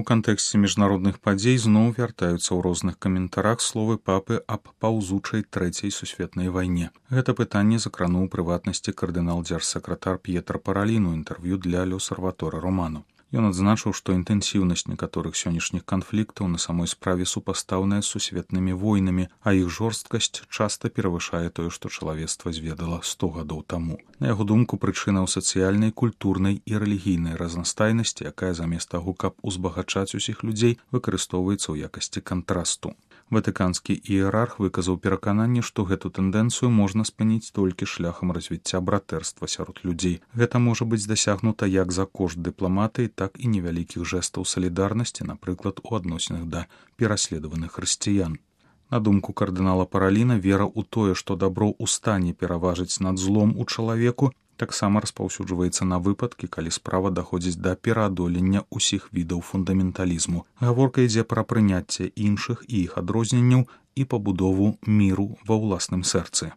У кантэксце міжнародных падзей зноў вяртаюцца ў розных каментарах словы папы аб паўзучай трэцяй сусветнай вайне. Гэта пытанне закрануў у прыватнасці кардынал-дзяржсакратар П'етра Паралін у інтэрв'ю для L'Osservatore Romano. Ён адзначыў, што інтэнсіўнасць некаторых сённяшніх канфліктаў на самой справе супастаўная з сусветнымі войнамі, а іх жорсткасць часта перавышае тое, што чалавецтва зведала 100 гадоў таму. На яго думку, прычына ў сацыяльнай, культурнай і рэлігійнай разнастайнасці, якая замест таго, каб узбагачаць усіх людзей, выкарыстоўваецца ў якасці кантрасту. Ватыканскі іерарх выказаў перакананне, што гэту тэндэнцыю можна спыніць толькі шляхам развіцця братэрства сярод людзей. Гэта можа быць дасягнута як за кошт дыпламатыі, так і невялікіх жэстаў салідарнасці, напрыклад, у адносінах да пераследаваных хрысціян. На думку кардынала Параліна, вера ў тое, што дабро ў стане пераважыць над злом у чалавеку, таксама распаўсюджваецца на выпадкі, калі справа даходзіць да пераадолення ўсіх відаў фундаменталізму. Гаворка ідзе пра прыняцце іншых і іх адрозненняў і пабудову міру ва ўласным сэрцы.